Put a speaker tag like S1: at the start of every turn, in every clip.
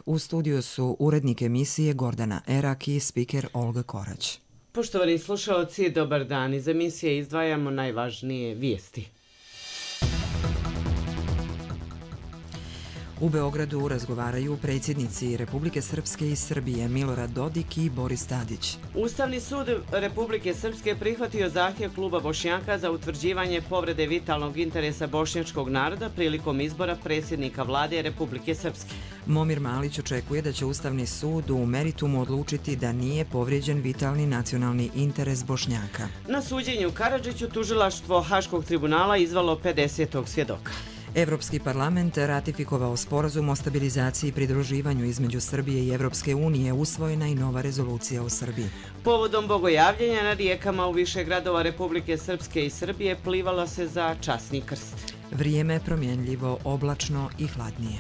S1: U studiju su urednik emisije Gordana Erak i spiker Olga Korać.
S2: Poštovani slušalci, dobar dan. Iz emisije izdvajamo najvažnije vijesti.
S1: U Beogradu razgovaraju predsjednici Republike Srpske i Srbije Milorad Dodik i Boris Tadić.
S2: Ustavni sud Republike Srpske prihvatio zahtjev kluba Bošnjaka za utvrđivanje povrede vitalnog interesa bošnjačkog naroda prilikom izbora predsjednika vlade Republike Srpske.
S1: Momir Malić očekuje da će Ustavni sud u meritumu odlučiti da nije povrijeđen vitalni nacionalni interes Bošnjaka.
S2: Na suđenju Karadžiću tužilaštvo Haškog tribunala izvalo 50. svjedoka.
S1: Evropski parlament ratifikovao sporazum o stabilizaciji i pridruživanju između Srbije i Evropske unije, usvojena i nova rezolucija o Srbiji.
S2: Povodom bogojavljenja na rijekama u više gradova Republike Srpske i Srbije plivalo se za časni krst.
S1: Vrijeme je promjenljivo, oblačno i hladnije.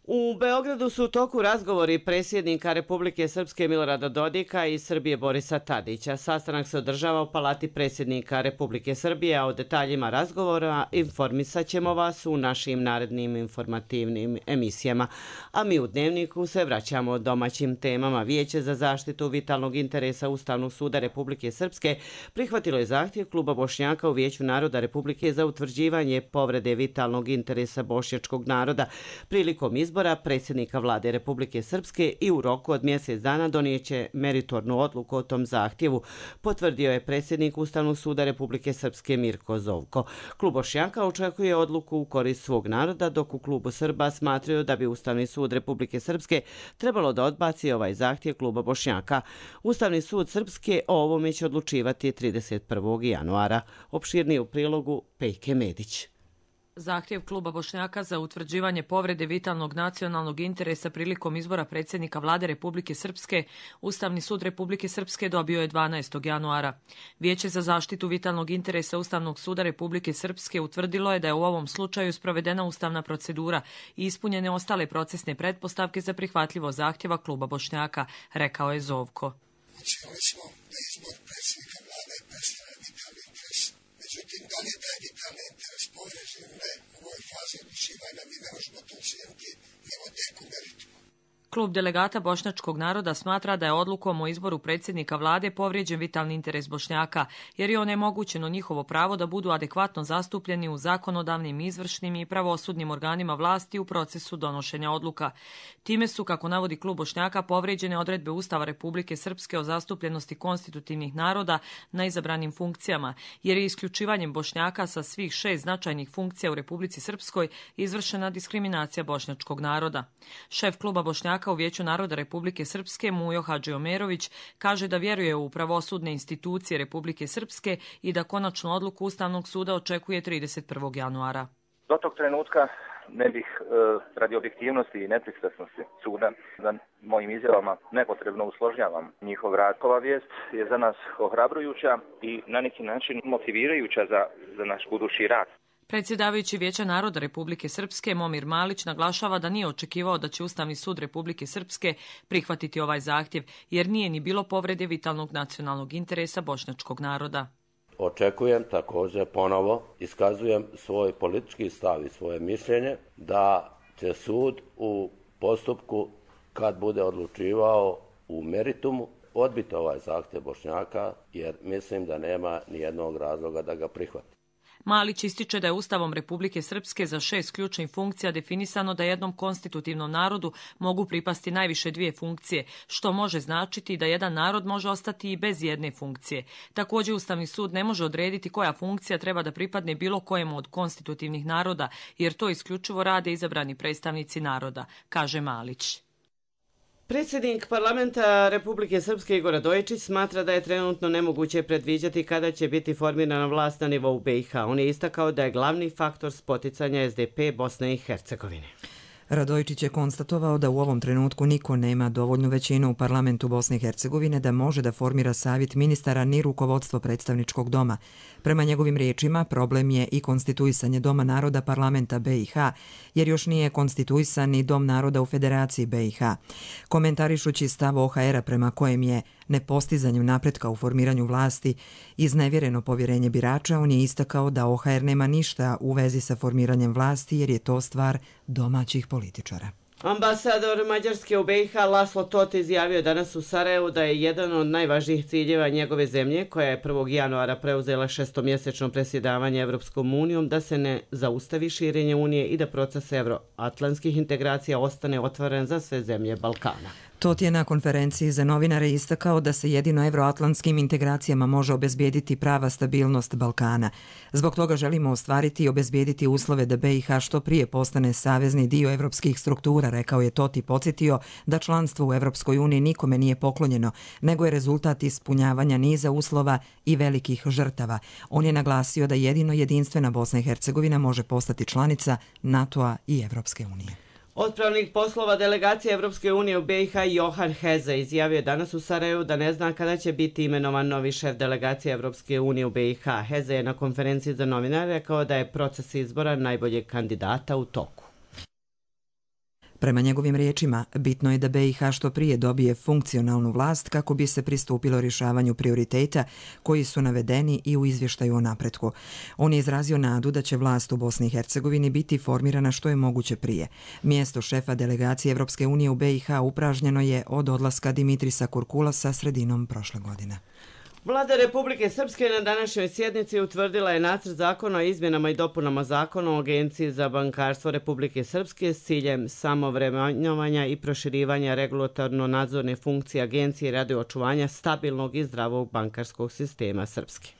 S2: U Beogradu su u toku razgovori predsjednika Republike Srpske Milorada Dodika i Srbije Borisa Tadića. Sastanak se održava u Palati predsjednika Republike Srbije, a o detaljima razgovora informisat ćemo vas u našim narednim informativnim emisijama. A mi u Dnevniku se vraćamo domaćim temama. Vijeće za zaštitu vitalnog interesa Ustavnog suda Republike Srpske prihvatilo je zahtjev kluba Bošnjaka u Vijeću naroda Republike za utvrđivanje povrede vitalnog interesa bošnjačkog naroda prilikom izbora predsjednika vlade Republike Srpske i u roku od mjesec dana donijeće meritornu odluku o tom zahtjevu, potvrdio je predsjednik Ustavnog suda Republike Srpske Mirko Zovko. Klub Bošnjaka očekuje odluku u korist svog naroda, dok u klubu Srba smatraju da bi Ustavni sud Republike Srpske trebalo da odbaci ovaj zahtjev kluba Bošnjaka. Ustavni sud Srpske o ovome će odlučivati 31. januara. Opširnije u prilogu Pejke Medić.
S3: Zahtjev kluba Bošnjaka za utvrđivanje povrede vitalnog nacionalnog interesa prilikom izbora predsjednika vlade Republike Srpske Ustavni sud Republike Srpske dobio je 12. januara. Vijeće za zaštitu vitalnog interesa Ustavnog suda Republike Srpske utvrdilo je da je u ovom slučaju sprovedena ustavna procedura i ispunjene ostale procesne pretpostavke za prihvatljivo zahtjeva kluba Bošnjaka, rekao je Zovko.
S4: Ocijenili smo da izbor predsjednika vlade predstavlja vitalni interes. Međutim, da li je taj vitalni interes povrijeđen ili ne, u ovoj fazi odlučivanja mi ne možemo to ocijeniti nego tek u meritumu.
S3: Klub delegata bošnjačkog naroda smatra da je odlukom o izboru predsjednika vlade povrijeđen vitalni interes Bošnjaka, jer je onemogućeno njihovo pravo da budu adekvatno zastupljeni u zakonodavnim, izvršnim i pravosudnim organima vlasti u procesu donošenja odluka. Time su, kako navodi klub Bošnjaka, povrijeđene odredbe Ustava Republike Srpske o zastupljenosti konstitutivnih naroda na izabranim funkcijama, jer je isključivanjem Bošnjaka sa svih 6 značajnih funkcija u Republici Srpskoj izvršena diskriminacija bošnjačkog naroda. Šef kluba Bošnjaka u Vijeću naroda Republike Srpske Mujo Hadžiomerović kaže da vjeruje u pravosudne institucije Republike Srpske i da konačnu odluku Ustavnog suda očekuje 31. januara.
S5: Do tog trenutka ne bih radi objektivnosti i nepristrasnosti suda da mojim izjavama nepotrebno usložnjavam njihov rad. Ova vijest je za nas ohrabrujuća i na neki način motivirajuća za naš budući rad.
S3: Predsjedavajući Vijeća naroda Republike Srpske Momir Malić naglašava da nije očekivao da će Ustavni sud Republike Srpske prihvatiti ovaj zahtjev, jer nije ni bilo povrede vitalnog nacionalnog interesa bošnjačkog naroda.
S6: Očekujem također ponovo, iskazujem svoj politički stav i svoje mišljenje da će sud u postupku, kad bude odlučivao u meritumu, odbiti ovaj zahtjev Bošnjaka, jer mislim da nema ni jednog razloga da ga prihvati.
S3: Malić ističe da je Ustavom Republike Srpske za 6 ključnih funkcija definisano da jednom konstitutivnom narodu mogu pripasti najviše 2 funkcije, što može značiti da jedan narod može ostati i bez jedne funkcije. Također Ustavni sud ne može odrediti koja funkcija treba da pripadne bilo kojemu od konstitutivnih naroda, jer to isključivo rade izabrani predstavnici naroda, kaže Malić.
S2: Predsjednik parlamenta Republike Srpske Igor Radojičić smatra da je trenutno nemoguće predviđati kada će biti formirana vlast na nivou BiH. On je istakao da je glavni faktor spoticanja SDP Bosne i Hercegovine.
S1: Radojičić je konstatovao da u ovom trenutku niko nema dovoljnu većinu u parlamentu Bosne i Hercegovine da može da formira savjet ministara ni rukovodstvo predstavničkog doma. Prema njegovim riječima, problem je i konstituisanje Doma naroda parlamenta BiH, jer još nije konstituisan ni Dom naroda u Federaciji BiH. Komentarišući stav OHR-a prema kojem je nepostizanjem napretka u formiranju vlasti i iznevjereno povjerenje birača, on je istakao da OHR nema ništa u vezi sa formiranjem vlasti jer je to stvar domaćih političara.
S2: Ambasador Mađarske u BiH Laslo Tot izjavio danas u Sarajevu da je jedan od najvažnijih ciljeva njegove zemlje, koja je 1. januara preuzela šestomjesečno predsjedavanje Evropskom unijom, da se ne zaustavi širenje Unije i da proces evroatlantskih integracija ostane otvoren za sve zemlje Balkana.
S1: Tot je na konferenciji za novinare istakao da se jedino evroatlantskim integracijama može obezbijediti prava stabilnost Balkana. Zbog toga želimo ostvariti i obezbijediti uslove da BiH što prije postane savezni dio evropskih struktura, rekao je Tot i podsjetio da članstvo u Evropskoj uniji nikome nije poklonjeno, nego je rezultat ispunjavanja niza uslova i velikih žrtava. On je naglasio da jedino jedinstvena Bosna i Hercegovina može postati članica NATO-a i Evropske unije.
S2: Otpravnik poslova delegacije Evropske unije u BiH Johan Heze izjavio danas u Sarajevu da ne zna kada će biti imenovan novi šef delegacije Evropske unije u BiH. Heze je na konferenciji za novinare rekao da je proces izbora najboljeg kandidata u toku.
S1: Prema njegovim riječima, bitno je da BiH što prije dobije funkcionalnu vlast kako bi se pristupilo rješavanju prioriteta koji su navedeni i u izvještaju o napretku. On je izrazio nadu da će vlast u Bosni i Hercegovini biti formirana što je moguće prije. Mjesto šefa delegacije Evropske unije u BiH upražnjeno je od odlaska Dimitrisa Kurkulasa sredinom prošle godine.
S2: Vlada Republike Srpske na današnjoj sjednici utvrdila je nacrt zakona o izmjenama i dopunama zakona o Agenciji za bankarstvo Republike Srpske s ciljem samovremenjovanja i proširivanja regulatorno-nadzorne funkcije agencije radi očuvanja stabilnog i zdravog bankarskog sistema Srpske.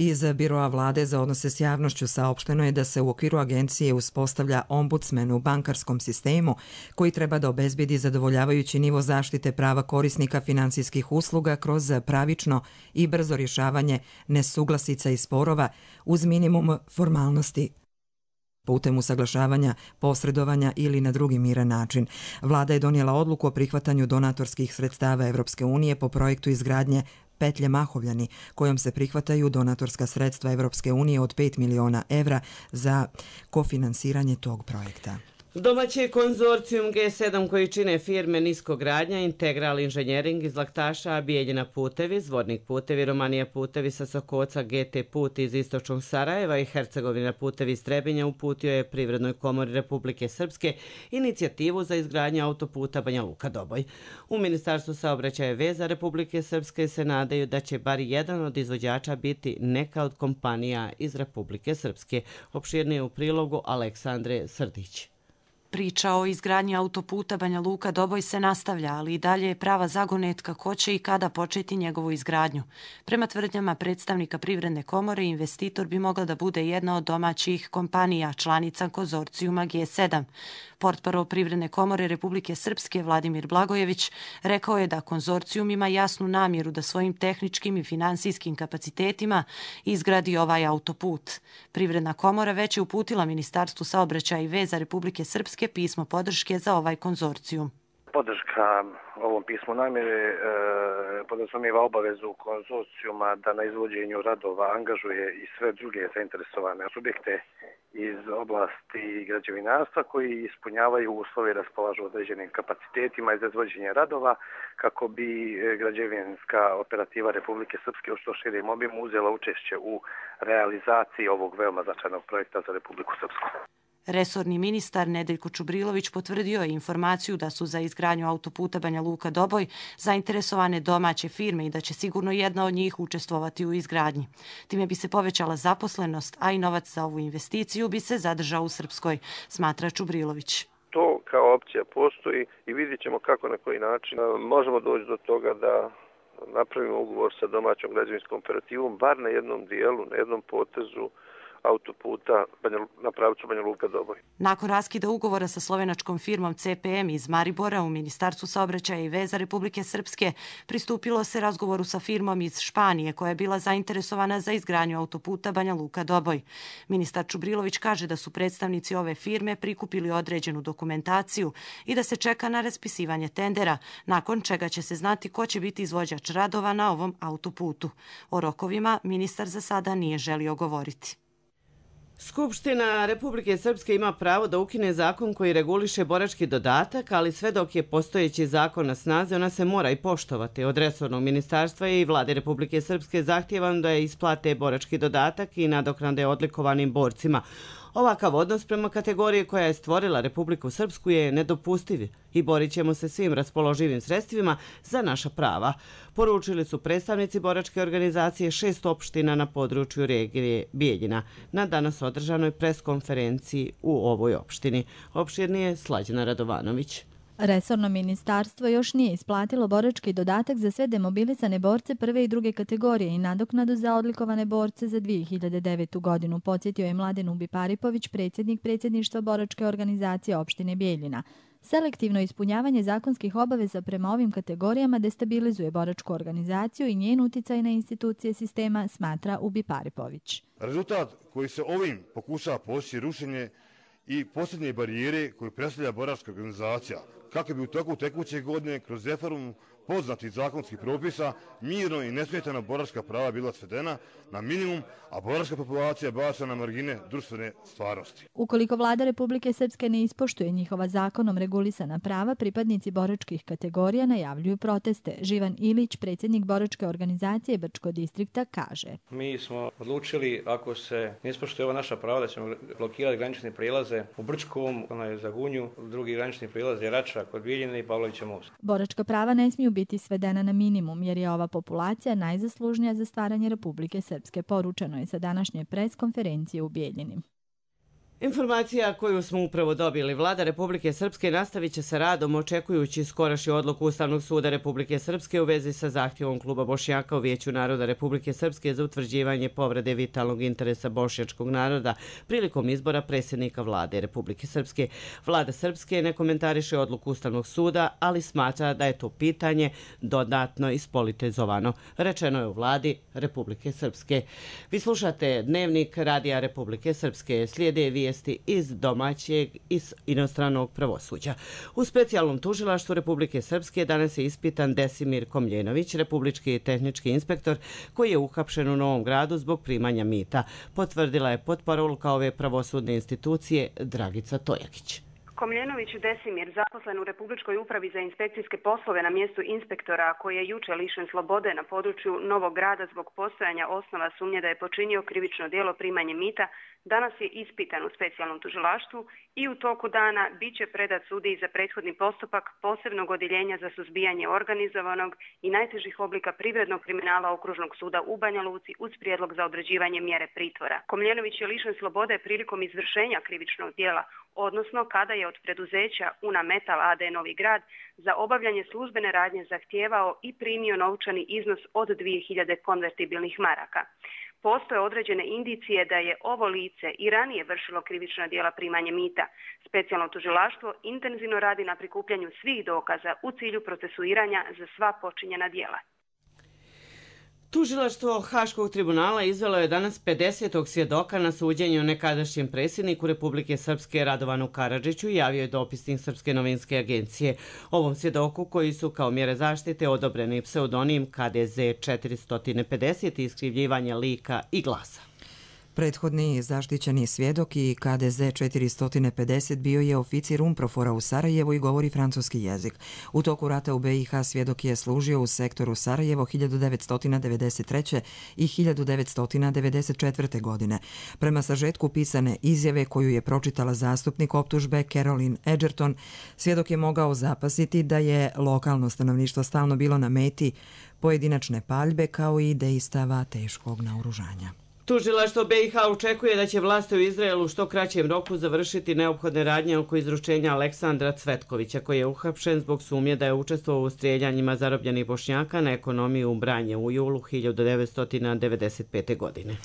S1: Iz Biroa vlade za odnose s javnošću saopšteno je da se u okviru agencije uspostavlja ombudsman u bankarskom sistemu koji treba da obezbedi zadovoljavajući nivo zaštite prava korisnika finansijskih usluga kroz pravično i brzo rješavanje nesuglasica i sporova uz minimum formalnosti putem usaglašavanja, posredovanja ili na drugi miran način. Vlada je donijela odluku o prihvatanju donatorskih sredstava Evropske unije po projektu izgradnje petlje Mahovljani, kojom se prihvataju donatorska sredstva Evropske unije od 5 miliona evra za kofinansiranje tog projekta.
S2: Domaći konzorcijum G7 koji čine firme Niskogradnja, Integral Inženjering iz Laktaša, Bijeljina putevi, Zvornik putevi, Romanija putevi sa Sokoca, GT put iz istočnog Sarajeva i Hercegovina putevi iz Trebinja uputio je Privrednoj komori Republike Srpske inicijativu za izgradnju autoputa Banja Luka-Doboj. U Ministarstvu saobraćaja i veza Republike Srpske se nadaju da će bar jedan od izvođača biti neka od kompanija iz Republike Srpske. Opširnije u prilogu Aleksandre Srdić.
S7: Priča o izgradnji autoputa Banja Luka-Doboj se nastavlja, ali i dalje je prava zagonetka ko će i kada početi njegovu izgradnju. Prema tvrdnjama predstavnika Privredne komore, investitor bi mogla da bude jedna od domaćih kompanija, članica konzorcijuma G7. Portparol Privredne komore Republike Srpske Vladimir Blagojević rekao je da konzorcijum ima jasnu namjeru da svojim tehničkim i finansijskim kapacitetima izgradi ovaj autoput. Privredna komora već je uputila Ministarstvu saobraćaja i veza Republike Srpske pismo podrške za ovaj konzorcijum.
S8: Podrška ovom pismu namjere podrazumijeva obavezu konzorcijuma da na izvođenju radova angažuje i sve druge zainteresovane subjekte iz oblasti građevinarstva koji ispunjavaju uslove i raspolažu određenim kapacitetima za izvođenje radova kako bi građevinska operativa Republike Srpske u što širem obimu uzela učešće u realizaciji ovog veoma značajnog projekta za Republiku Srpsku.
S7: Resorni ministar Nedeljko Čubrilović potvrdio je informaciju da su za izgradnju autoputa Banja Luka-Doboj zainteresovane domaće firme i da će sigurno jedna od njih učestvovati u izgradnji. Time bi se povećala zaposlenost, a i novac za ovu investiciju bi se zadržao u Srpskoj, smatra Čubrilović.
S9: To kao opcija postoji i vidjet ćemo kako na koji način možemo doći do toga da napravimo ugovor sa domaćom građevinskom operativom, bar na jednom dijelu, na jednom potezu autoputa na pravcu Banja Luka-Doboj.
S7: Nakon raskida ugovora sa slovenačkom firmom CPM iz Maribora u Ministarstvu saobraćaja i veza Republike Srpske pristupilo se razgovoru sa firmom iz Španije koja je bila zainteresovana za izgradnju autoputa Banja Luka-Doboj. Ministar Čubrilović kaže da su predstavnici ove firme prikupili određenu dokumentaciju i da se čeka na raspisivanje tendera, nakon čega će se znati ko će biti izvođač radova na ovom autoputu. O rokovima ministar za sada nije želio govoriti.
S2: Skupština Republike Srpske ima pravo da ukine zakon koji reguliše borački dodatak, ali sve dok je postojeći zakon na snazi, ona se mora i poštovati. Od resornog ministarstva i vlade Republike Srpske zahtjevam da je isplate borački dodatak i nadoknade odlikovanim borcima. Ovakav odnos prema kategoriji koja je stvorila Republiku Srpsku je nedopustiv i borit ćemo se svim raspoloživim sredstvima za naša prava, poručili su predstavnici boračke organizacije 6 opština na području regije Bijeljina na danas održanoj preskonferenciji u ovoj opštini. Opširnije Slađana Radovanović.
S10: Resorno ministarstvo još nije isplatilo borački dodatak za sve demobilisane borce prve i druge kategorije i nadoknadu za odlikovane borce za 2009. godinu, podsjetio je Mladen Ubiparipović, predsjednik predsjedništva boračke organizacije opštine Bijeljina. Selektivno ispunjavanje zakonskih obaveza prema ovim kategorijama destabilizuje boračku organizaciju i njen uticaj na institucije sistema, smatra Ubiparipović.
S11: Rezultat koji se ovim pokušava postići rušenje i posljednje barijere koju predstavlja boračka organizacija, kako bi u toku tekuće godine kroz reformu poznatih zakonskih propisa mirno i nesmetano boračka prava bila svedena na minimum, a boračka populacija bačena na margine društvene stvarnosti.
S10: Ukoliko vlada Republike Srpske ne ispoštuje njihova zakonom regulisana prava, pripadnici boračkih kategorija najavljuju proteste. Živan Ilić, predsjednik boračke organizacije Brčko distrikta, kaže:
S12: Mi smo odlučili, ako se ne ispoštuje ova naša prava, da ćemo blokirati granične prijelaze u Brčkom, za Gunju, drugi granični prijelaz je Rača kod Bijeljine i Pavlovića most.
S10: Boračka prava ne smiju biti svedena na minimum, jer je ova populacija najzaslužnija za stvaranje Republike Srpske, poručeno je sa današnje preskonferencije u Bijeljini.
S2: Informacija koju smo upravo dobili, vlada Republike Srpske nastavit će sa radom očekujući skorašnju odluku Ustavnog suda Republike Srpske u vezi sa zahtjevom kluba Bošnjaka u Vijeću naroda Republike Srpske za utvrđivanje povrede vitalnog interesa bošnjačkog naroda prilikom izbora predsjednika vlade Republike Srpske. Vlada Srpske ne komentariše odluku Ustavnog suda, ali smatra da je to pitanje dodatno ispolitizovano, rečeno je u vladi Republike Srpske. Vi slušate Dnevnik Radija Republike Srpske, slijede vijesti iz domaćeg i inostranog pravosuđa. U specijalnom tužilaštvu Republike Srpske danas je ispitan Desimir Komljenović, republički tehnički inspektor koji je uhapšen u Novom Gradu zbog primanja mita, potvrdila je potparolka ove pravosudne institucije Dragica Tojakić.
S13: Komljenović Desimir, zaposlen u Republičkoj upravi za inspekcijske poslove na mjestu inspektora, koji je juče lišen slobode na području Novog Grada zbog postojanja osnova sumnje da je počinio krivično djelo primanje mita, danas je ispitan u specijalnom tužilaštvu i u toku dana bit će predat sudiji za prethodni postupak posebnog odjeljenja za suzbijanje organizovanog i najtežih oblika privrednog kriminala Okružnog suda u Banja Luci uz prijedlog za određivanje mjere pritvora. Komljenović je lišen slobode prilikom izvršenja krivičnog djela, odnosno kada je od preduzeća Una Metal AD Novi Grad za obavljanje službene radnje zahtijevao i primio novčani iznos od 2000 konvertibilnih maraka. Postoje određene indicije da je ovo lice i ranije vršilo krivična djela primanje mita. Specijalno tužilaštvo intenzivno radi na prikupljanju svih dokaza u cilju procesuiranja za sva počinjena djela.
S2: Tužilaštvo Haškog tribunala izvelo je danas 50. svjedoka na suđenju nekadašnjem predsjedniku Republike Srpske Radovanu Karadžiću, javio je dopisnik Srpske novinske agencije. Ovom svjedoku, koji su kao mjere zaštite odobreni pseudonim KDZ 450 i iskrivljivanje lika i glasa.
S1: Prethodni zaštićeni svjedok i KDZ 450 bio je oficir Umprofora u Sarajevu i govori francuski jezik. U toku rata u BiH svjedok je služio u sektoru Sarajevo 1993. i 1994. godine. Prema sažetku pisane izjave koju je pročitala zastupnik optužbe Caroline Edgerton, svjedok je mogao zapasiti da je lokalno stanovništvo stalno bilo na meti pojedinačne paljbe kao i dejstava teškog naoružanja.
S2: Tužilaštvo BiH očekuje da će vlasti u Izraelu u što kraćem roku završiti neophodne radnje oko izručenja Aleksandra Cvetkovića, koji je uhapšen zbog sumnje da je učestvovao u strijeljanjima zarobljenih Bošnjaka na ekonomiji u Branje u julu 1995. godine.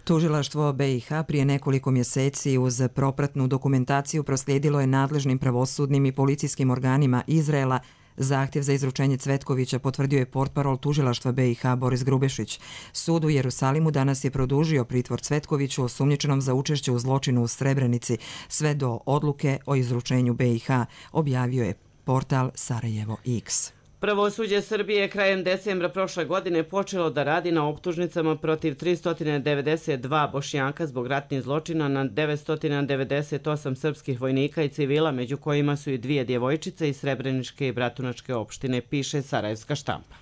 S1: Tužilaštvo BiH prije nekoliko mjeseci uz propratnu dokumentaciju proslijedilo je nadležnim pravosudnim i policijskim organima Izraela zahtjev za izručenje Cvetkovića, potvrdio je portparol tužilaštva BiH Boris Grubešić. Sud u Jerusalimu danas je produžio pritvor Cvetkoviću osumnjičenom za učešće u zločinu u Srebrenici sve do odluke o izručenju BiH, objavio je portal Sarajevo X.
S2: Pravosuđe Srbije krajem decembra prošle godine počelo da radi na optužnicama protiv 392 Bošnjaka zbog ratnih zločina na 998 srpskih vojnika i civila, među kojima su i 2 djevojčice iz Srebreničke i Bratunačke opštine, piše Sarajevska štampa.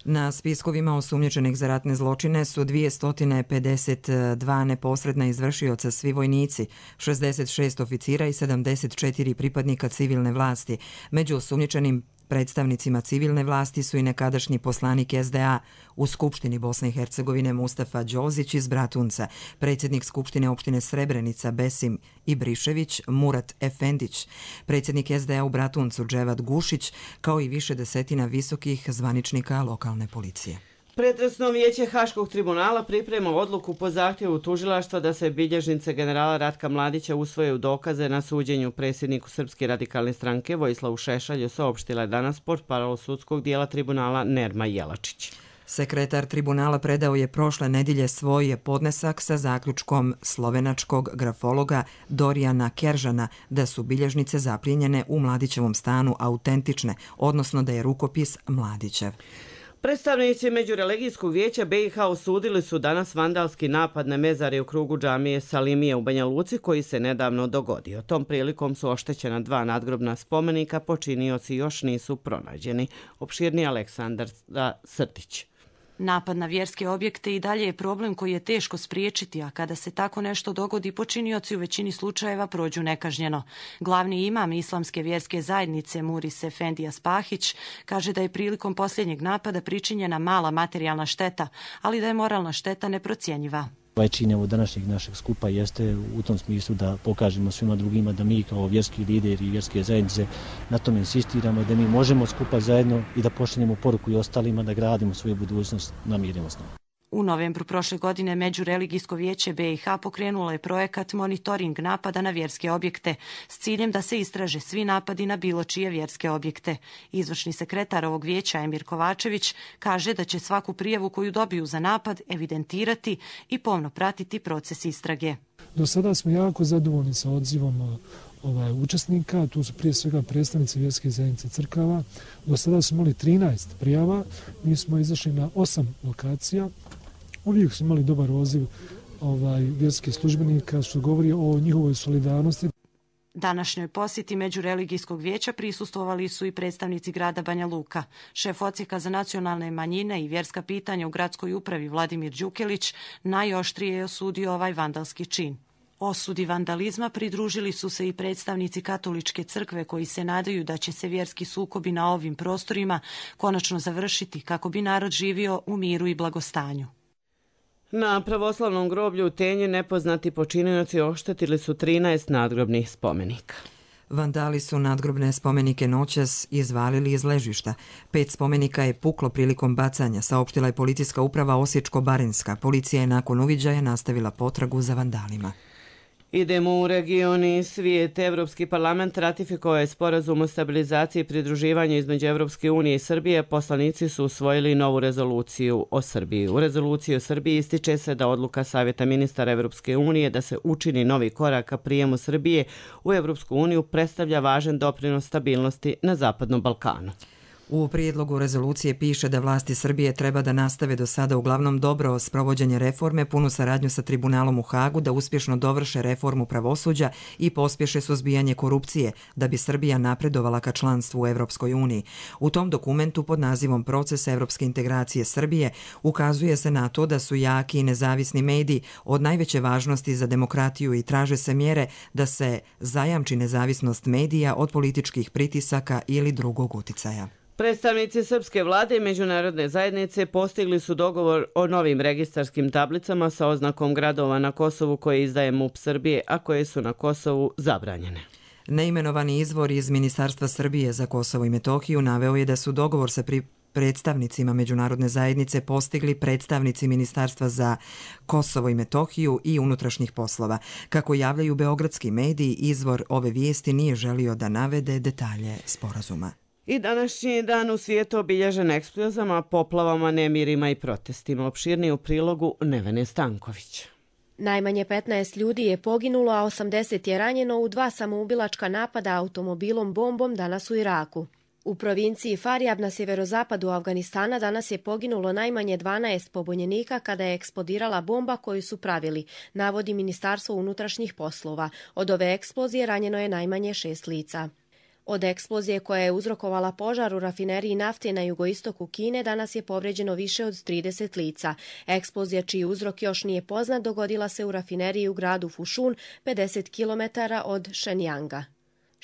S1: Na spiskovima osumnjičenih za ratne zločine su 252 neposredna izvršioca, svi vojnici, 66 oficira i 74 pripadnika civilne vlasti. Među osumnjičenim predstavnicima civilne vlasti su i nekadašnji poslanik SDA u Skupštini Bosne i Hercegovine Mustafa Đozić iz Bratunca, predsjednik Skupštine opštine Srebrenica Besim Ibrišević Murat Efendić, predsjednik SDA u Bratuncu Dževad Gušić, kao i više desetina visokih zvaničnika lokalne policije.
S2: Pretresno vijeće Haškog tribunala priprema odluku po zahtjevu tužilaštva da se bilježnice generala Ratka Mladića usvoje u dokaze na suđenju predsjedniku Srpske radikalne stranke Vojislavu Šešelju, saopštila je danas portparol sudskog dijela tribunala Nerma Jelačić.
S1: Sekretar tribunala predao je prošle nedjelje svoj podnesak sa zaključkom slovenačkog grafologa Dorijana Keržana da su bilježnice zaplijenjene u Mladićevom stanu autentične, odnosno da je rukopis Mladićev.
S2: Predstavnici Međureligijskog vijeća BiH osudili su danas vandalski napad na mezari u krugu džamije Salimije u Banja Luci koji se nedavno dogodio. Tom prilikom su oštećena 2 nadgrobna spomenika, počinioci još nisu pronađeni. Opširni Aleksandar Srtić.
S7: Napad na vjerske objekte i dalje je problem koji je teško spriječiti, a kada se tako nešto dogodi, počinioci u većini slučajeva prođu nekažnjeno. Glavni imam islamske vjerske zajednice Muris Efendija Spahić kaže da je prilikom posljednjeg napada pričinjena mala materijalna šteta, ali da je moralna šteta neprocjenjiva.
S14: Ovaj čin od današnjeg našeg skupa jeste u tom smislu da pokažemo svima drugima da mi kao vjerski lideri i vjerske zajednice na tome insistiramo, da mi možemo skupa zajedno i da pošaljemo poruku i ostalima da gradimo svoju budućnost na mirnim osnovama.
S7: U novembru prošle godine Međureligijsko vijeće BiH pokrenulo je projekat monitoring napada na vjerske objekte s ciljem da se istraže svi napadi na bilo čije vjerske objekte. Izvršni sekretar ovog vijeća Emir Kovačević kaže da će svaku prijavu koju dobiju za napad evidentirati i pomno pratiti proces istrage.
S15: Do sada smo jako zadovoljni sa odzivom učesnika, tu su prije svega predstavnici vjerske zajednice crkava. Do sada smo imali 13 prijava, mi smo izašli na 8 lokacija. Uvijek su imali dobar odziv vjerskih službenika, što govori o njihovoj solidarnosti.
S7: Današnjoj posjeti Međureligijskog vijeća prisustvovali su i predstavnici grada Banja Luka. Šef odsjeka za nacionalne manjine i vjerska pitanja u gradskoj upravi Vladimir Đukelić najoštrije je osudio ovaj vandalski čin. Osudi vandalizma pridružili su se i predstavnici Katoličke crkve koji se nadaju da će se vjerski sukobi na ovim prostorima konačno završiti kako bi narod živio u miru i blagostanju.
S2: Na pravoslavnom groblju u Tenji nepoznati počinioci oštetili su 13 nadgrobnih spomenika.
S1: Vandali su nadgrobne spomenike noćas izvalili iz ležišta. 5 spomenika je puklo prilikom bacanja, saopštila je policijska uprava Osječko-baranjska. Policija je nakon uviđaja nastavila potragu za vandalima.
S2: Idemo u region i svijet. Evropski parlament ratifikovao je sporazum o stabilizaciji i pridruživanju između Evropske unije i Srbije. Poslanici su usvojili novu rezoluciju o Srbiji. U rezoluciji o Srbiji ističe se da odluka Savjeta ministara Evropske unije da se učini novi korak ka prijemu Srbije u Evropsku uniju predstavlja važan doprinos stabilnosti na Zapadnom Balkanu.
S1: U prijedlogu rezolucije piše da vlasti Srbije treba da nastave do sada uglavnom dobro sprovođenje reforme, punu saradnju sa tribunalom u Hagu, da uspješno dovrše reformu pravosuđa i pospješe suzbijanje korupcije, da bi Srbija napredovala ka članstvu u Evropskoj uniji. U tom dokumentu pod nazivom Proces evropske integracije Srbije ukazuje se na to da su jaki i nezavisni mediji od najveće važnosti za demokratiju i traže se mjere da se zajamči nezavisnost medija od političkih pritisaka ili drugog uticaja.
S2: Predstavnici srpske vlade i međunarodne zajednice postigli su dogovor o novim registarskim tablicama sa oznakom gradova na Kosovu koje izdaje MUP Srbije, a koje su na Kosovu zabranjene.
S1: Neimenovani izvor iz Ministarstva Srbije za Kosovo i Metohiju naveo je da su dogovor sa predstavnicima međunarodne zajednice postigli predstavnici Ministarstva za Kosovo i Metohiju i unutrašnjih poslova. Kako javljaju beogradski mediji, izvor ove vijesti nije želio da navede detalje sporazuma.
S2: I današnji dan u svijetu obilježen eksplozijama, poplavama, nemirima i protestima. Opširniji u prilogu Nevene Stanković.
S16: Najmanje 15 ljudi je poginulo, a 80 je ranjeno u 2 samoubilačka napada automobilom bombom danas u Iraku. U provinciji Faryab na sjeverozapadu Afganistana danas je poginulo najmanje 12 pobunjenika kada je eksplodirala bomba koju su pravili, navodi Ministarstvo unutrašnjih poslova. Od ove eksplozije ranjeno je najmanje 6 lica. Od eksplozije koja je uzrokovala požar u rafineriji nafte na jugoistoku Kine danas je povređeno više od 30 lica. Eksplozija čiji uzrok još nije poznat dogodila se u rafineriji u gradu Fushun, 50 km od Shenyanga.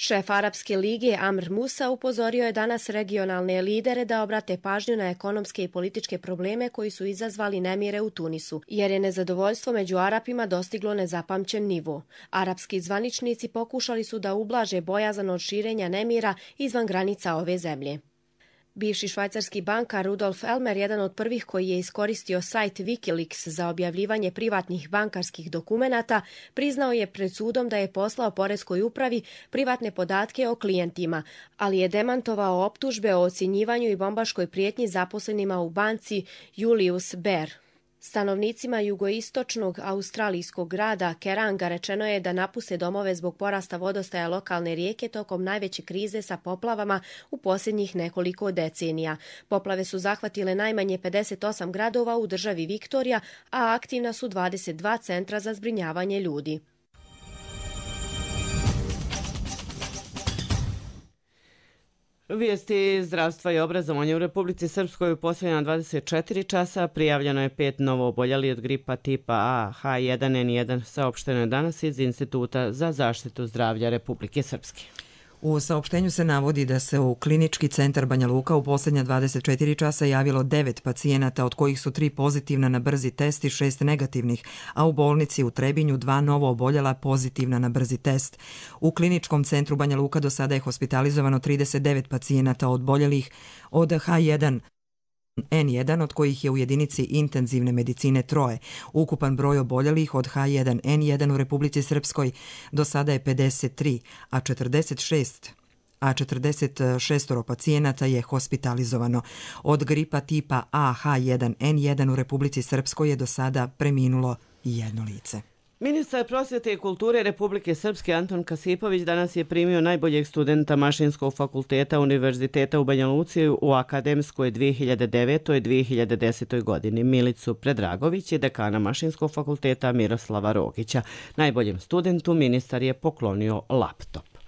S16: Šef Arapske lige Amr Musa upozorio je danas regionalne lidere da obrate pažnju na ekonomske i političke probleme koji su izazvali nemire u Tunisu, jer je nezadovoljstvo među Arapima dostiglo nezapamćen nivo. Arapski zvaničnici pokušali su da ublaže bojazan od širenja nemira izvan granica ove zemlje. Bivši švajcarski bankar Rudolf Elmer, jedan od prvih koji je iskoristio sajt Wikileaks za objavljivanje privatnih bankarskih dokumenata, priznao je pred sudom da je poslao poreskoj upravi privatne podatke o klijentima, ali je demantovao optužbe o ocjenjivanju i bombaškoj prijetnji zaposlenima u banci Julius Baer. Stanovnicima jugoistočnog australijskog grada Keranga rečeno je da napuste domove zbog porasta vodostaja lokalne rijeke tokom najveće krize sa poplavama u posljednjih nekoliko decenija. Poplave su zahvatile najmanje 58 gradova u državi Viktorija, a aktivna su 22 centra za zbrinjavanje ljudi.
S2: Vijesti zdravstva i obrazovanja u Republici Srpskoj u posljednja 24 časa prijavljeno je 5 novooboljeli od gripa tipa A, H1N1, saopšteno je danas iz Instituta za zaštitu zdravlja Republike Srpske.
S1: U saopštenju se navodi da se u klinički centar Banja Luka u posljednja 24 časa javilo 9 pacijenata, od kojih su 3 pozitivna na brzi test i 6 negativnih, a u bolnici u Trebinju 2 novooboljela pozitivna na brzi test. U kliničkom centru Banja Luka do sada je hospitalizovano 39 pacijenata oboljelih od H1N1, od kojih je u jedinici intenzivne medicine 3. Ukupan broj oboljelih od H1N1 u Republici Srpskoj do sada je 53, a 46 pacijenata je hospitalizovano. Od gripa tipa A, H1N1 u Republici Srpskoj je do sada preminulo 1 lice.
S2: Ministar prosvjete i kulture Republike Srpske Anton Kasipović danas je primio najboljeg studenta Mašinskog fakulteta Univerziteta u Banja Luci u akademskoj 2009-2010. godini. Milicu Predragović je dekana Mašinskog fakulteta Miroslava Rogića. Najboljem studentu ministar je poklonio laptop.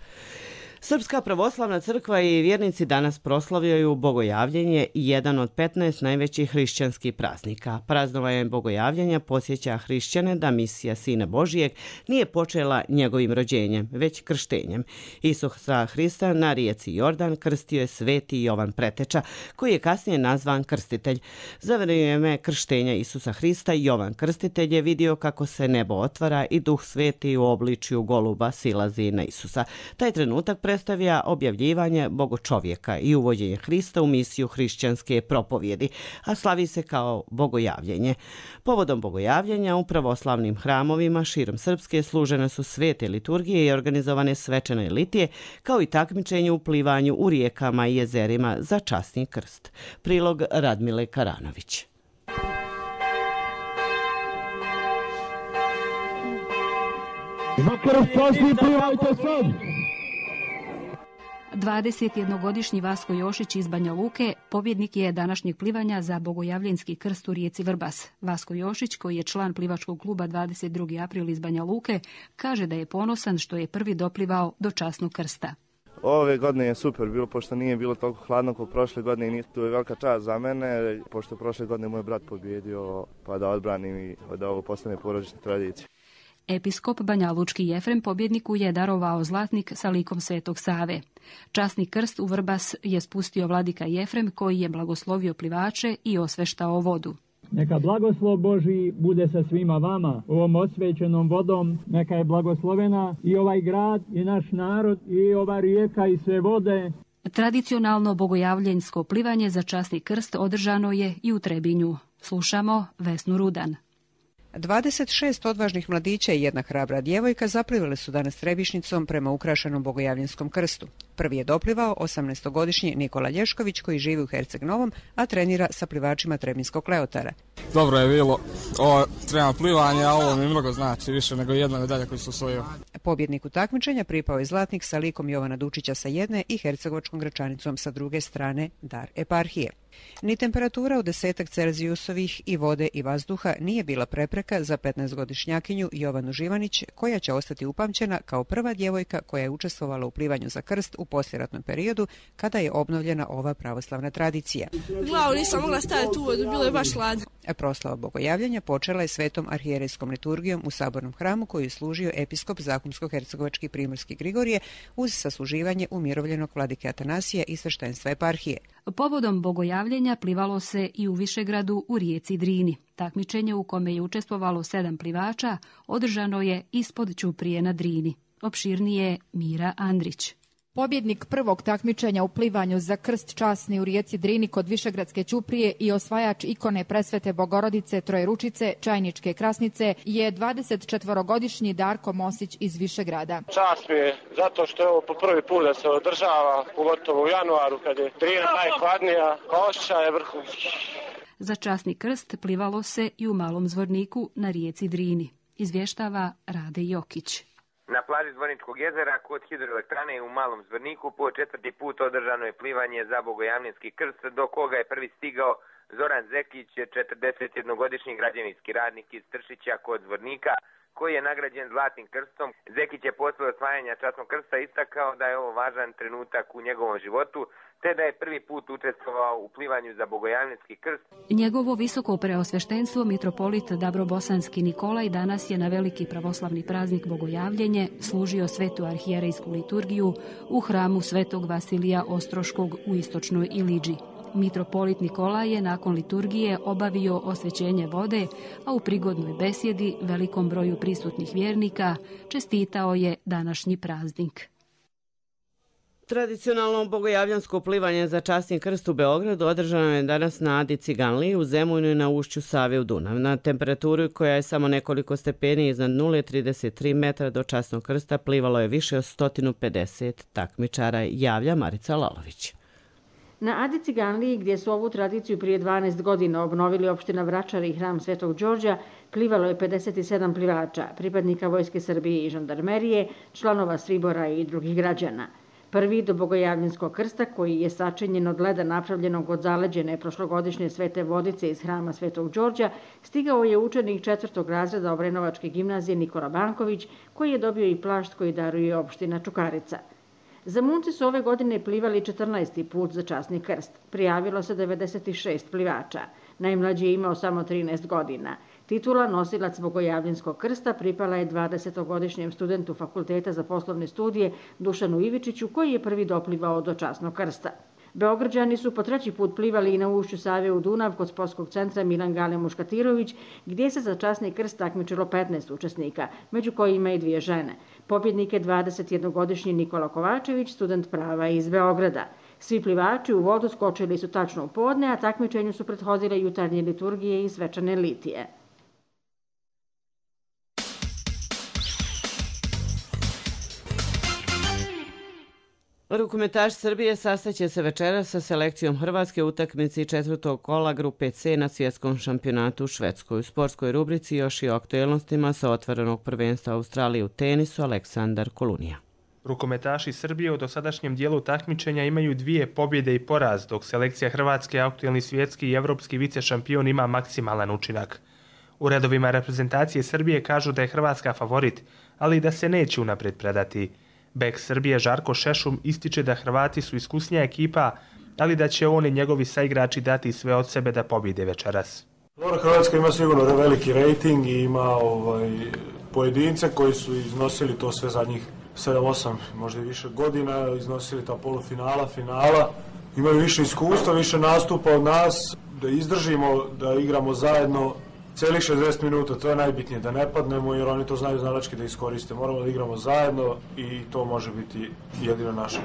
S2: Srpska pravoslavna crkva i vjernici danas proslavljaju Bogojavljenje, jedan od 15 najvećih hrišćanskih praznika. Praznovanje Bogojavljenja podsjeća hrišćane da misija Sina Božijeg nije počela njegovim rođenjem, već krštenjem. Isusa Hrista na rijeci Jordan krstio je sveti Jovan Preteča, koji je kasnije nazvan krstitelj. Za vrijeme krštenja Isusa Hrista Jovan Krstitelj je vidio kako se nebo otvara i Duh Sveti u obličju goluba silazi na Isusa. Taj trenutak predstavlja objavljivanje bogočovjeka i uvođenje Hrista u misiju hrišćanske propovjedi, a slavi se kao Bogojavljenje. Povodom Bogojavljenja u pravoslavnim hramovima širom Srpske služene su svete liturgije i organizovane svečane litije, kao i takmičenje u plivanju u rijekama i jezerima za časni krst. Prilog Radmile Karanović.
S17: Za krst časni plivajte sad!
S18: 21-godišnji Vasko Jošić iz Banja Luke pobjednik je današnjeg plivanja za Bogojavljenski krst u rijeci Vrbas. Vasko Jošić, koji je član plivačkog kluba 22. april iz Banja Luke, kaže da je ponosan što je prvi doplivao do časnog krsta.
S19: Ove godine je super bilo, pošto nije bilo toliko hladno kao prošle godine i to je velika čast za mene, pošto prošle godine moj brat pobjedio, pa da odbranim i da ovo postane porodična tradicija.
S18: Episkop Banja Lučki Jefrem pobjedniku je darovao zlatnik sa likom Svetog Save. Časni krst u Vrbas je spustio vladika Jefrem, koji je blagoslovio plivače i osveštao vodu.
S17: Neka blagoslov Božji bude sa svima vama, ovom osvećenom vodom, neka je blagoslovena i ovaj grad i naš narod i ova rijeka i sve vode.
S18: Tradicionalno bogojavljensko plivanje za časni krst održano je i u Trebinju. Slušamo Vesnu Rudan.
S20: 26 odvažnih mladića i jedna hrabra djevojka zaplivali su danas Trebišnicom prema ukrašenom Bogojavljenskom krstu. Prvi je doplivao 18-godišnji Nikola Lješković, koji živi u Herceg Novom, a trenira sa plivačima Trebinskog Leotara.
S21: Dobro je bilo ovo trema plivanje, a ovo mi mnogo znači više nego jedna medalja koju su osvojio.
S20: Pobjedniku takmičenja pripao je zlatnik sa likom Jovana Dučića sa jedne i hercegovačkom Gračanicom sa druge strane Dar eparhije. Ni temperatura od 10 Celzijusovih i vode i vazduha nije bila prepreka za 15-godišnjakinju Jovanu Živanić, koja će ostati upamćena kao prva djevojka koja je učestvovala u plivanju za krst u poslijeratnom periodu kada je obnovljena ova pravoslavna tradicija.
S22: Glavu nisam mogla staviti u vodu, bilo je baš hladno.
S20: Proslava bogojavljanja počela je svetom arhijerejskom liturgijom u sabornom hramu koju je služio episkop Zahumsko-hercegovački Primorski Grigorije uz sasluživanje umirovljenog vladike Atanasija i sveštenstva eparhije.
S18: Povodom bogojavljenja plivalo se i u Višegradu u rijeci Drini. Takmičenje u kome je učestvovalo 7 plivača održano je ispod ćuprije na Drini. Opširnije Mira Andrić.
S23: Pobjednik prvog takmičenja u plivanju za krst časni u rijeci Drini kod Višegradske ćuprije i osvajač ikone Presvete Bogorodice Trojeručice Čajničke Krasnice je 24-godišnji Darko Mosić iz Višegrada.
S24: Čast mi je zato što je ovo po prvi put da se održava, pogotovo u januaru kad je Drina najhladnija, osjećaj je vrhunski.
S18: Za časni krst plivalo se i u Malom Zvorniku na rijeci Drini, izvještava Rade Jokić.
S25: Na plaži Zvorničkog jezera kod hidroelektrane u Malom Zvorniku po 4. put održano je plivanje za bogojavljenski krst, do koga je prvi stigao Zoran Zekić, 41-godišnji građevinski radnik iz Tršića kod Zvornika, koji je nagrađen zlatnim krstom. Zekić je posle osvajanja časnog krsta istakao da je ovo važan trenutak u njegovom životu, te da je prvi put učestvovao u plivanju za bogojavljenski krst.
S18: Njegovo visoko preosveštenstvo mitropolit Dabrobosanski Nikolaj danas je na veliki pravoslavni praznik bogojavljenje služio svetu arhijerejsku liturgiju u hramu svetog Vasilija Ostroškog u istočnoj Iliđi. Mitropolit Nikolaj je nakon liturgije obavio osvećenje vode, a u prigodnoj besjedi velikom broju prisutnih vjernika čestitao je današnji praznik.
S2: Tradicionalno bogojavljansko plivanje za časni krst u Beogradu održano je danas na Adi Ciganliji u Zemunu i na ušću Save u Dunav. Na temperaturu koja je samo nekoliko stepeni iznad 0,33 metra do časnog krsta plivalo je više od 150 takmičara, javlja Marica Lalović.
S26: Na Adi Ciganliji, gdje su ovu tradiciju prije 12 godina obnovili opština Vračar i hram Svetog Đorđa, plivalo je 57 plivača, pripadnika Vojske Srbije i žandarmerije, članova Sribora i drugih građana. Prvi do bogojavljenskog krsta, koji je sačinjen od leda napravljenog od zaleđene prošlogodišnje Svete Vodice iz hrama Svetog Đorđa, stigao je učenik 4. razreda Obrenovačke gimnazije Nikola Banković, koji je dobio i plašt koji daruje opština Čukarica. Zamunci su ove godine plivali 14. put za časni krst. Prijavilo se 96 plivača. Najmlađi je imao samo 13 godina. Titula nosilac bogojavljenskog krsta pripala je 20-godišnjem studentu Fakulteta za poslovne studije Dušanu Ivičiću, koji je prvi doplivao do časnog krsta. Beograđani su po 3. put plivali i na ušću Save u Dunav kod sportskog centra Milan Gale Muškatirović, gdje se za časni krst takmičilo 15 učesnika, među kojima i 2 žene. Pobjednik je 21-godišnji Nikola Kovačević, student prava iz Beograda. Svi plivači u vodu skočili su tačno u podne, a takmičenju su prethodile jutarnje liturgije i svečane litije.
S2: Rukometaš Srbije sastaće se večeras sa selekcijom Hrvatske u utakmici 4. kola grupe C na svjetskom šampionatu u Švedskoj. U sportskoj rubrici još i o aktuelnostima sa otvorenog prvenstva Australije u tenisu Aleksandar Kolunija.
S27: Rukometaši Srbije u dosadašnjem dijelu takmičenja imaju 2 pobjede i poraz, dok selekcija Hrvatske, aktuelni svjetski i evropski vicešampion, ima maksimalan učinak. U redovima reprezentacije Srbije kažu da je Hrvatska favorit, ali i da se neće unaprijed predati. Bek Srbije Žarko Šešum ističe da Hrvati su iskusnija ekipa, ali da će on i njegovi saigrači dati sve od sebe da pobjede večeras.
S28: Hrvatska ima sigurno veliki rejting i ima pojedince koji su iznosili to sve zadnjih 7-8, možda i više godina, iznosili ta polufinala, finala. Imaju više iskustva, više nastupa od nas, da izdržimo, da igramo zajedno celih 60 minuta, to je najbitnije, da ne padnemo jer oni to znaju znalački da iskoriste. Moramo da igramo zajedno i to može biti jedina naša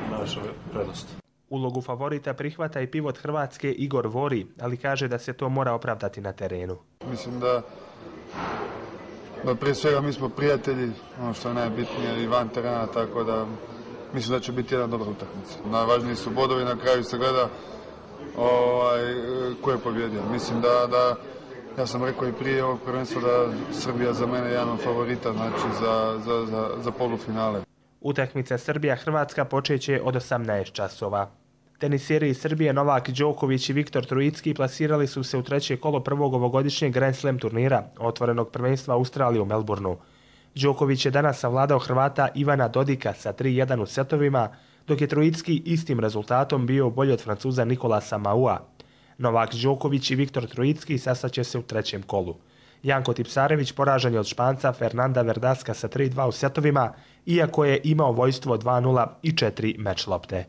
S28: prednost.
S27: Ulogu favorita prihvata i pivot Hrvatske Igor Vori, ali kaže da se to mora opravdati na terenu.
S29: Mislim da prije svega mi smo prijatelji, ono što je najbitnije i van terena, tako da mislim da će biti jedna dobra utakmica. Najvažniji su bodovi, na kraju se gleda ko je pobjedio. Mislim da Ja sam rekao i prije ovog prvenstva da Srbija za mene je jedan od favorita, znači za polufinale.
S27: Utakmica Srbija-Hrvatska počeće od 18 časova. Tenisijeri iz Srbije Novak Đoković i Viktor Trojicki plasirali su se u treće kolo prvog ovogodišnjeg Grand Slam turnira, otvorenog prvenstva Australije u Melbourneu. Đoković je danas savladao Hrvata Ivana Dodika sa 3-1 u setovima, dok je Trojicki istim rezultatom bio bolji od Francuza Nikolasa Maua. Novak Đoković i Viktor Trojicki sastaće se u trećem kolu. Janko Tipsarević poražen je od Španca Fernanda Verdaska sa 3-2 u setovima, iako je imao vojstvo 2-0 i 4 meč lopte.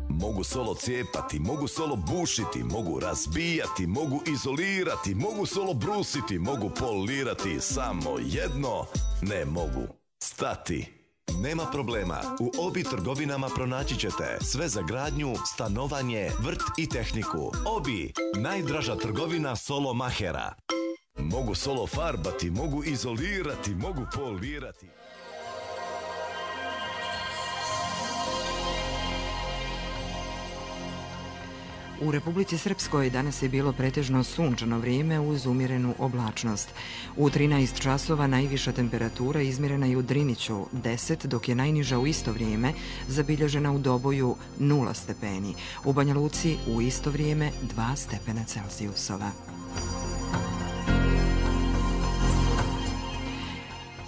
S3: Mogu solo cijepati, mogu solo bušiti, mogu razbijati, mogu izolirati, mogu solo brusiti, mogu polirati, samo jedno ne mogu stati. Nema problema, u Obi trgovinama pronaći ćete sve za gradnju, stanovanje, vrt i tehniku. Obi, najdraža trgovina solo mahera. Mogu solo farbati, mogu izolirati, mogu polirati.
S1: U Republici Srpskoj danas je bilo pretežno sunčano vrijeme uz umjerenu oblačnost. U 13 časova najviša temperatura izmjerena je u Driniću 10, dok je najniža u isto vrijeme zabilježena u Doboju 0 stepeni. U Banja Luci u isto vrijeme 2 stepena Celzijusova.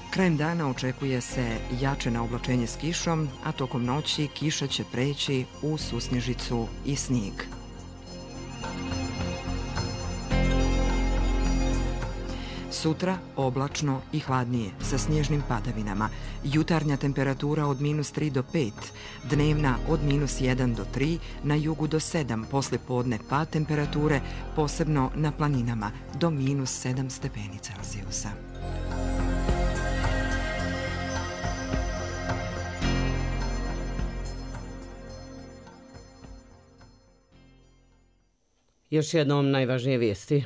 S1: Krajem dana očekuje se jače naoblačenje s kišom, a tokom noći kiša će preći u susnježicu i snijeg. Sutra oblačno i hladnije sa snježnim padavinama. Jutarnja temperatura od -3 do 5, dnevna od -1 do 3, na jugu do 7, posle podne pad temperature, posebno na planinama, do -7 stepeni Celzijusa.
S2: Još jednom najvažnije vijesti.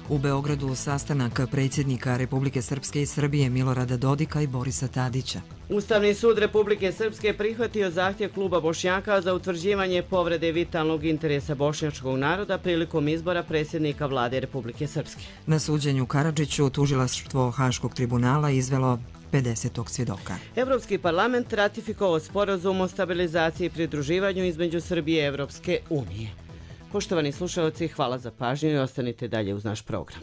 S1: U Beogradu sastanak predsjednika Republike Srpske i Srbije Milorada Dodika i Borisa Tadića.
S2: Ustavni sud Republike Srpske prihvatio zahtjev kluba Bošnjaka za utvrđivanje povrede vitalnog interesa bošnjačkog naroda prilikom izbora predsjednika vlade Republike Srpske.
S1: Na suđenju Karadžiću tužilaštvo Haškog tribunala izvelo 50. svjedoka.
S2: Evropski parlament ratifikovao sporazum o stabilizaciji i pridruživanju između Srbije i Evropske unije. Poštovani slušalci, hvala za pažnju i ostanite dalje uz naš program.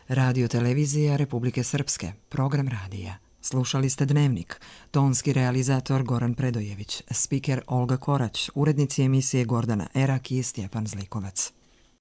S1: Radio televizija Republike Srpske, program radija. Slušali ste Dnevnik, tonski realizator Goran Predojević, spiker Olga Korać, urednici emisije Gordana Erak i Stjepan Zlikovac.